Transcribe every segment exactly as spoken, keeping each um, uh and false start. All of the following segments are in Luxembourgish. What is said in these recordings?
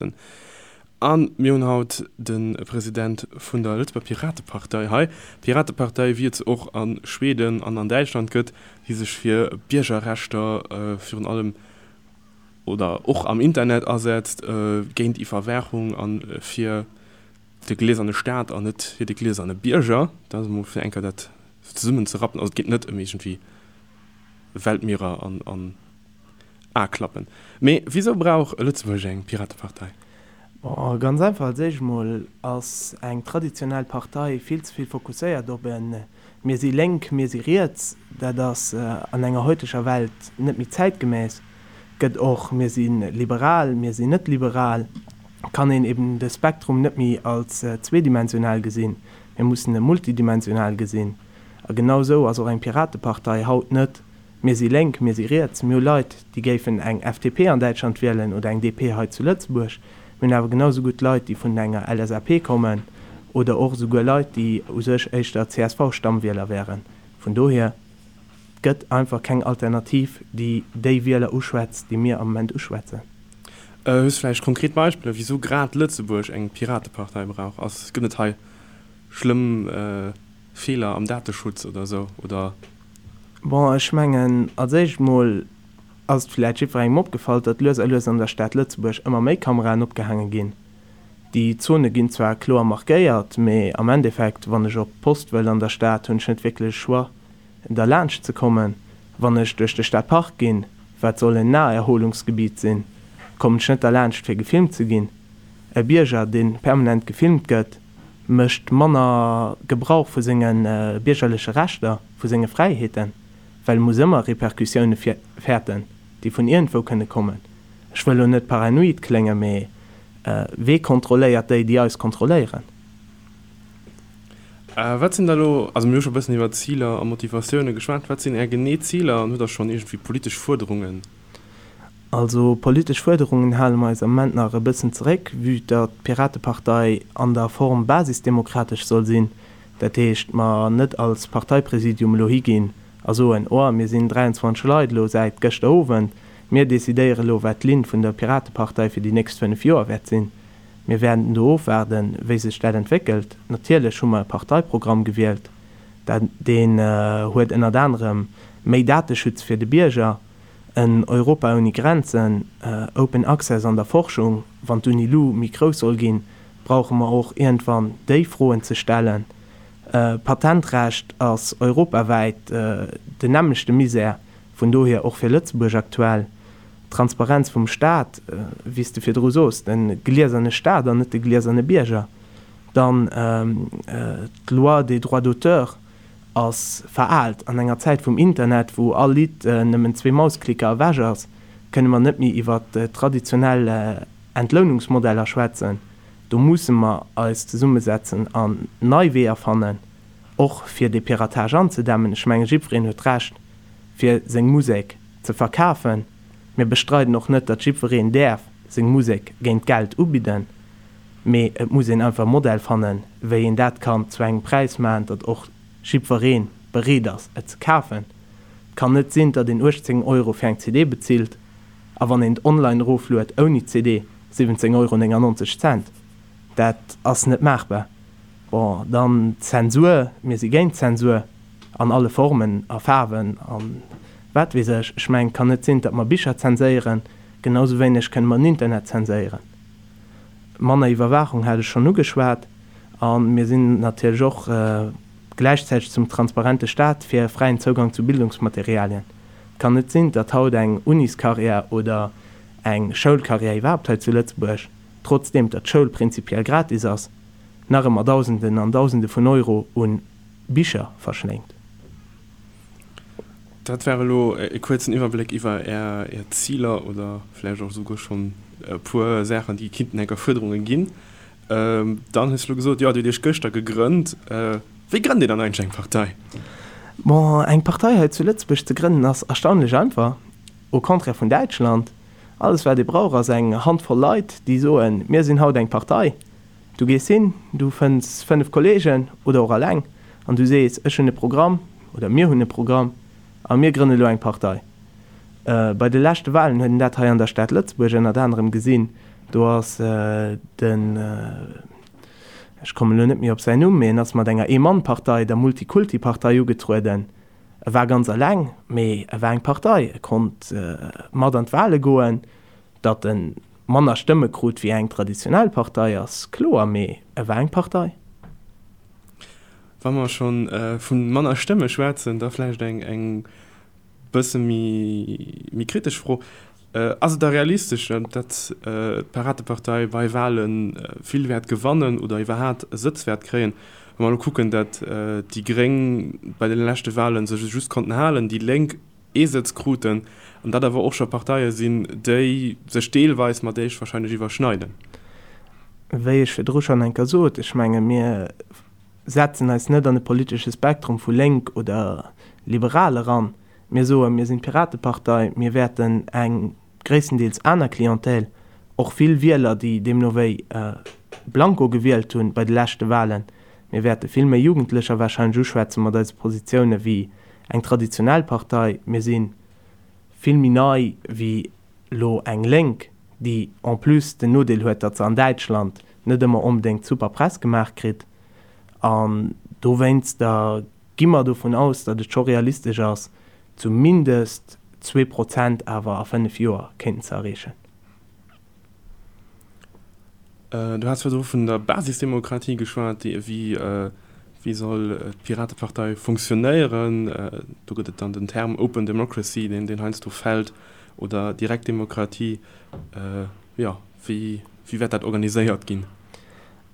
A mir hunn haut de President vun der Lëtzebuerger Piratepartei hei. Piratepartei, wéi et se och a Schweden an an Däitschland gëtt, déi sech fir Biergerrechter virun allem oder och am Internet asetzt, géint Iwwerwaachung a fir de glieserne Staat an net fir de glieserne Bierger. Dat ass emol fir eng Kéier dat zesummenzerappen. Also et geet net ëm iergendwéi Weltmierer an an A-Klappen. Mee wisou brauch Lëtzebuerg eng Piratepartei? Bon, ganz einfach, als éischt emol ass eng traditionell Partei vill ze vill fokusséiert op e mir si lénk, mir si riets. Dat ass an enger heuteger Welt net méi zäitgemäss. Gëtt och mir si liberal, mir sinn net liberal, kann een eben de Spektrum net méi als zweedimensional gesinn, mir mussen e multidimensional gesinn. A genau esou ass och eng Piratepartei haut net mir si lénk, mir si riets. Mir hu Leit, déi géifen eng F D P an Däitschland wielen oder eng D P hei zu Lëtzebuerg. Mir hunn awer genau esou gutt Leit, déi vun enger L S A P kommen oder och esouguer Leit, déi u sech éischter C S V-Stammwieler wären. Vun dohier, et gëtt einfach keng Alternativ, déi déi Wieler uschwätzt, déi mir am Moment uschwätzen. Hues vläicht konkret Beispiller, wisou grad Lëtzebuerg eng Piratepartei brauch? Ass, gëtt et hei schlëmm Feeler am Dateschutz oder esou, oder? Bon, ech mengen, als éischt mol ass et vläicht jiddwerengem opgefall, datt lues a lues an der Stad Lëtzebuerg ëmmer méi Kameraen opgehaange ginn. Déi Zone ginn zwar kloer markéiert, mee am Endeffekt, wann ech op d'Post wëll an der Stad, hunn ech net wierklech e Choix, derlaanscht ze kommen. Wann ech duerch de Stadpark ginn, wat soll en Naherholungsgebiet sinn, kommen ech net derlaanscht fir gefilmt ze ginn. E Bierger, dee permanent gefilmt gëtt, mécht manner Gebrauch vu senge biergerleche Rechter, vu senge Fräiheeten, well e muss ëmmer Repercussioune fäerten, déi vun iergendwou kënne kommen. Ech wëll elo net paranoid kléngen, mee wee kontrolléiert déi, déi eis kontrolléieren? Wat sinn da elo, also mir hu scho e bëssen iwwer Ziler a Motivatioune geschwat, wat sinn Är genee Ziler an hutt Der schonn iergendwéi politesch Fuerderungen? Also politesch Fuerderungen hale mer eis am Moment nach e bëssen zeréck, vue datt d'Piratepartei an der Form basisdemokratesch soll sinn. Dat heescht, mer net als Parteipräsidium elo higinn a soen, oh mir sinn dräianzwanzeg Leit elo säit gëschter Owend, mir decidéiere elo wat d'Linn vun der Piratepartei fir déi nächst fënnef Joer wäert sinn. Mir wäerten do ofwaarden, wéi sech dat entwéckelt. Natierlech hu mer e Parteiprogramm gewielt, dat deen huet ënnert anerem méi Dateschutz fir de Bierger, en Europa ouni Grenzen, Open Access an der Forschung. Wann d'UNILU méi grouss soll ginn, brauche mer och iergendwann déi Froen ze stellen. Patentrecht ass europawäit den nämmlechte Misär, vun dohier och fir Lëtzebuerg aktuell. D'Transparenz vum Staat, wéi s de virdru sos, de glieserne Staat an net de glieserne Bierger. Dann d'Loi des droits d'auteur ass veraalt. An enger Zäit vum Internet, wou all Lidd nëmmen zwee Mausklicker ewech ass, kënne mer net méi iwwer traditionell Entlounungsmodeller schwätzen. Do musse mer eis zesummesetzen an nei Weeër fannen, och fir dee Piratage anzedämmen. Ech menge jiddwereen huet d'Recht, fir seng Musek ze verkafen. Mir bestreiden och net, datt jiddwereen däerf seng Musek géint Geld ubidden, mee et muss een einfach e Modell fannen, wéi een dat kann zu engem Präis maachen, datt och jiddweree bereet ass, et ze kafen. Et kann net sinn, datt een uechtzéng Euro fir eng C D bezilt a wann een et online erofluet ouni C D siwwenzéng Euro néngannonzeg Cent. Dat ass net maachbar. Bon, dann d'Zensur, mir si géint d'Zensur an alle Formen a Faarwen a wat weess ech. Ech mengen, et kann net sinn, datt mer Bicher zenséieren, genau sou wéineg kënne mer den Internet zenséieren. Manner Iwwerwaachung hat ech schonn ugeschwat. A mir sinn natierlech och gläichzäiteg zum transparente Staat fir fräien Zougang zu Bildungsmaterialien. Et kann net sinn, datt haut eng Uniscarrière oder eng Schoulcarrière iwwerhaapt hei zu Lëtzebuerg, trotzdeem datt d'Schoul prinzipiell gratis ass, nach ëmmer Dausenden an Dausende vun Euro u Bicher verschléngt. Dat war elo e kuerzen Iwwerbléck iwwer Är Ziler oder vläicht och esouguer schonn e puer Saachen, déi kinnten enker Fuerderunge ginn. Dann hues de elo gesot, jo, Dir hutt Iech gëschter gegrënnt. Wéi grënnt een dann eigentlech eng Partei? Bon, eng Partei hei zu Lëtzebuerg ze grënnen ass erstaunlech einfach, au contraire vun Däitschland. Alles wat ee brauch ass eng Handvoll Leit, déi soen, mir sinn haut eng Partei. Du gees hin, du fënns fënnef Kollegen oder och alleng an du sees, ech hunn e Programm oder mir hunn e Programm a mir grënne lo eng Partei. Bei de leschte Wahlen huet een dat hei an der Stad Lëtzebuerg ënnert anerem gesinn, Do ass den, ech kommen elo net méi op säin Numm, mee en ass mat enger Ee-Mann-Partei, der Multikulti-Partei, ugetrueden. E war ganz eleng, mee e war eng Partei. E konnt mat an d'Wale goen. Datt e manner Stëmme krut wéi eng traditionell Partei, ass kloer, mee e war eng Partei. Wa mer scho vu manner Stëmme schwätzen, da vläicht eng bësse méi kritesch Fro, Ass et da realistesch, datt d'Piratepartei bei Wale vill wäert gewannen oder iwwerhaat e Sëtz wäert kréien? Wa mer elo kucken, datt déi Gréng bei de leschte Wale sech just konnten halen, déi Lénk ee Sëtz kruten, an dat awer och scho Parteie sinn, déi sech deelweis mat Iech wahrscheinlech iwwerschneiden. Wéi ech virdru schonn eng Kéier sot, ech menge mir setzen eis net an e politesche Spektrum vu lénk oder liberal eran. Mir soen, mir sinn d'Piratepartei, mir wäerten eng gréisstendeels aner Clientèle, och vill Wieler, déi deemno wéi blanko gewielt hunn bei de leschte Wahlen, mir wäerte vill méi Jugendlecher warscheinlech uschwätze mat eise Positioune wéi eng traditionell Partei. Mir si vill méi nei wéi elo eng Lénk, déi en plus den Nodeel huet, datt se an Däitschland net ëmmer onbedéngt super Press gemaach kritt. An dowéinster gi mer dovun aus, datt et scho realistesch ass, zumindest zwee Prozent awer a fënnef Joer kéinten ze erreechen. Du has virdru vun der Basisdemokratie geschwat. Wéi soll d'Piratepartei funktionéieren? Do gëtt et dann den Term Open Democracy, deen heiansdo fält, oder Direktdemokratie. Jo, wéi wäert dat organiséiert ginn?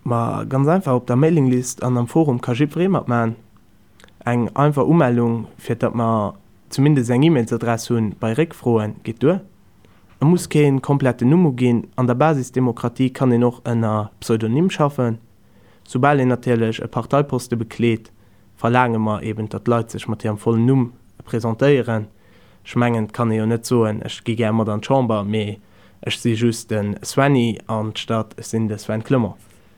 Ma ganz einfach, op der Mailinglist an am Forum ka jiddweree matmaachen. Eng einfach Umellung, fir datt mer zumindest eng E-Mailsadress hunn bei Réckfroen, geet duer. Et muss kee kompletten Numm uginn. An der Basisdemokratie kann een och ënner Pseudonym schaffen. Soubal een natierlech e Parteiposte bekleet, verlaange mer eben, datt d'Leit sech mat hirem vollen Numm presentéieren. Ech mengen, et kann ee jo net soen, ech gi gär mat an d'Chamber, mee ech si just de Svenny anstatt ech sinn de Sven Clement.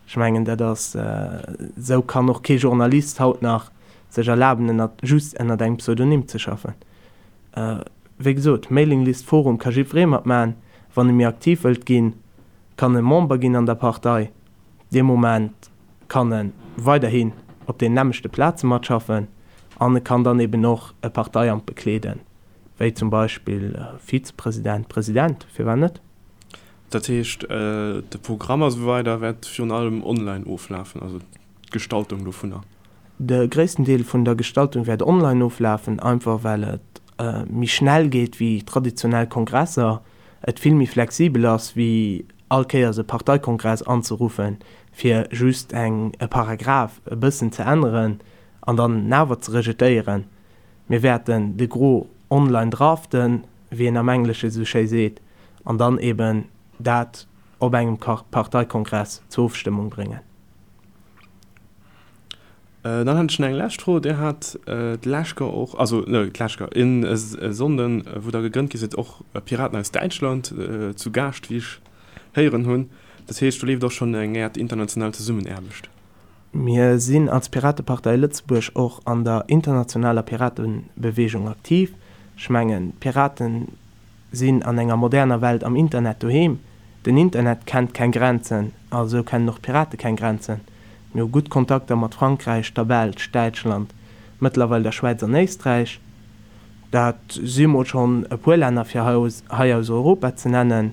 Ech mengen, dat ass, esou kann och kee Journalist haut nach sech erlaben, ënnert, just ënnert engem Pseudonym ze schaffen. Wéi gesot, Mailinglist, Forum ka jiddweree matmaachen. Wann e méi aktiv wëllt ginn, kann e Member ginn an der Partei. Dee Moment kann e weiderhin op deenen nämmlechte Plaze matschaffen an e kann dann eben och e Parteiamt bekleeden, wéi zum Beispill Vizepresident, President, firwat net? Dat heescht, de Programm a sou weider wäert virun allem online oflafen, also d'Gestaltung dovunner? De gréissten Deel vun der Gestaltung wäert online oflafen, einfach well et méi schnell geet wéi traditionell Kongresser, et vill méi flexibel ass wéi all Kéiers e Parteikongress anzeruffen, fir just eng e Paragraph e bëssen ze änneren an dann en awer ze rejetéieren. Mir wäerten de Gros online draften, wéi een am Englesche sou schéi seet, an dann eben dat op engem Parteikongress zur Ofstëmmung bréngen. Dann hätt ech nach eng lescht Fro. Dir hat d'lescht Joer och, also d'lescht Joer, e Sonnden, wou Der gegrënnt gi sidd, och Piraten aus Däitschland zu Gaascht, wéi ech héieren hunn. Dat heescht, do leeft och schonn eng Äert international Zesummenaarbecht? Mir sinn als Piratepartei Lëtzebuerg och an der internationaler Piratebeweegung aktiv. Ech mengen, d'Piraten sinn an enger moderner Welt am Internet doheem. Den Internet kennt keng Grenzen, also kennen och d'Pirate keng Grenzen. Mir hu gutt Kontakter mat Frankräich, der Belsch, Däitschland, mëttlerweil der Schwäiz an Éisträich. Dat si mol schonn e puer Länner fir hei aus Europa ze nennen.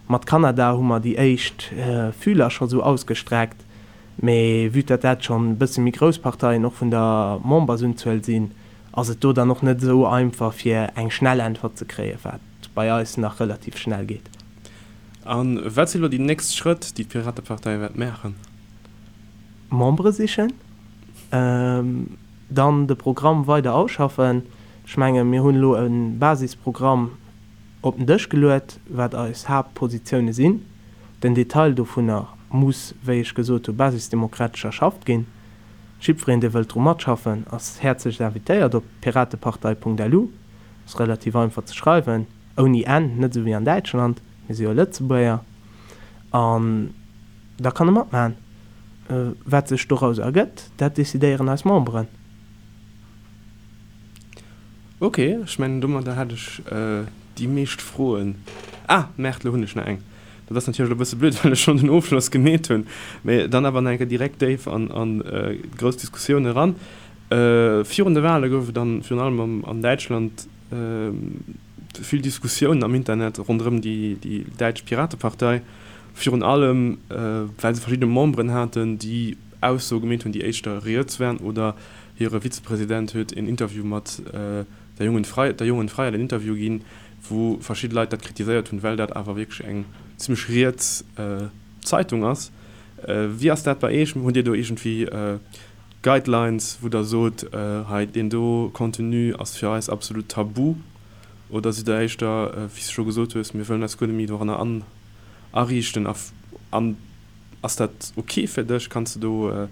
Mat Kanada hu mer déi éischt Fühler scho sou ausgestreckt, mee vue datt dat schonn e bësse méi grouss Parteien och vun der Membersunzuel sinn, ass et do dann och net esou einfach fir eng schnell Äntwert ze kréien, wat bei eis nach relativ schnell geet. A wat si lo déi nächst Schrëtt, déi d'Piratepartei wäert maachen? Membere sichen, dann de Programm weider ausschaffen. Ech menge mir hunn elo e Basisprogramm op den Dësch geluet, wat eis Haaptpositioune sinn. Den Detail dovunner muss, wéi ech gesot hu, basisdemokratesch erschafft ginn. Jiddwereen, dee wëllt dru matschaffen, ass häerzlechst invitéiert op piratepartei.lu. Ass relativ einfach ze schreiwen, ouni n, net esou wéi an Däitschland, mir si jo Lëtzebuerger. An da kann e matmaachen. Wat sech doraus ergëtt, dat decidéieren eis Memberen. Ok, ech mengen domadder hat ech déi meescht Froen. Ah, Mertl, lo hunn ech nach eng. Dat ass natierlech elo e bësse blöd, well ech schonn den Ofschloss gemeet hunn, mee dann awer nach eng Kéier direkt déif an an grouss Diskussioun eran. Virun de Wale gouf et dann virun allem an Däitschland vill Diskussiounen am Internet ronderëm déi déi däitsch Piratepartei, virun allem well se verschidde Memberen haten, déi Aussoe gemeet hunn, déi éischter riets waren, oder hire Vizepresident huet een Interview mat der Jungen Freiheit, der Jungen Freiheit en Interview ginn, wou verschidde Leit dat kritiséiert hunn, well dat awer wierklech eng zimmlech riets Zeitung ass. Wéi ass dat bei Iech? Hutt Dir do iergendwéi Guidelines, wou Der sot, hei deen do Contenu ass fir eis absolut tabu? Oder sidd Der éischter, wéi s de scho gesot hues, mir wëllen eis guer net méi doranner ariichten? An ass dat ok fir dech? Kanns de do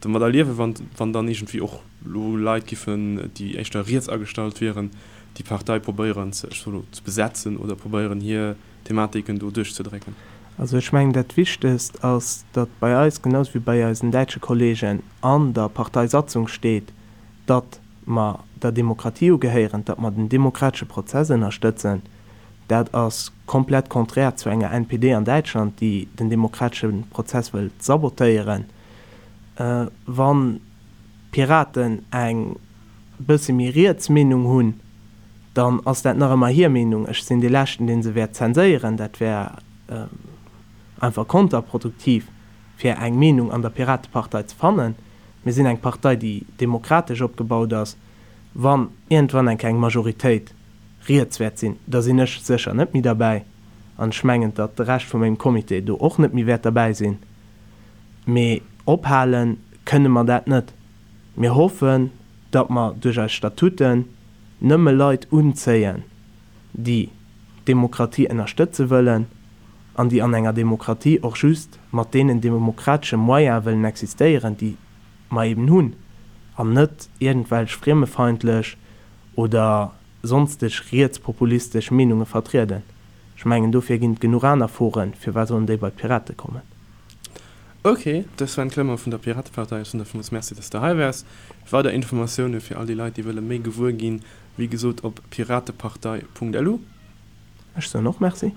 domadder liewen, wann, wann dann iergendwéi och lo Leit giffen, déi éischter riets agestallt wieren, déi Partei probéieren ze, ech soe lo, ze besetzen oder probéieren hir Thematiken do duerchzedrécken? Also ech mengen, dat Wichtegst ass, datt bei eis, genau esou wéi bei eisen däitsche Kollegen, an der Parteisatzung steet, datt mer der Demokratie ugehéieren, datt mer den demokratesche Prozess ënnerstëtzen. Dat ass komplett konträr zu enger N P D an Däitschland, déi den demokratesche Prozess wëllt sabotéieren. Wann d'Piraten eng bësse méi riets Meenung hunn, dann ass dat nach ëmmer hir Meenung. Ech sinn dee Leschten, dee se wäert zenséieren. Dat wär einfach konterproduktiv, fir eng Meenung an der Piratepartei ze fannen. Mir sinn eng Partei, déi demokratesch opgebaut ass. Wann iergendwann eng Kéier eng Majoritéit riets wäert sinn, da sinn ech sécher net méi derbäi. An ech mengen, datt de Rescht vu mengem Comité do och net méi wäert derbäi sinn. Mee ophale kënne mer dat net. Mir hoffen, datt mer duerch eis Statuten nëmme Leit unzéien, déi d'Demokratie ënnerstëtze wëllen an déi an enger Demokratie och just mat deenen demokratesche Moyene wëllen existéieren, déi mer eben hunn, an net iergendwelch friemefeindlech oder sonsteg rietspopulistesch Meenunge vertrieden. Ech mengen, dofir ginn et genuch aner Foren, firwat sollen déi bei d'Pirate kommen? Ok, de Sven Clement vun der Piratepartei, ech soen der villmools Merci, dass de hei waars. Weider Informatioune fir all déi Leit, déi wëlle méi gewuer ginn, wéi gesot op piratepartei punkt lu. Ech soen och Merci.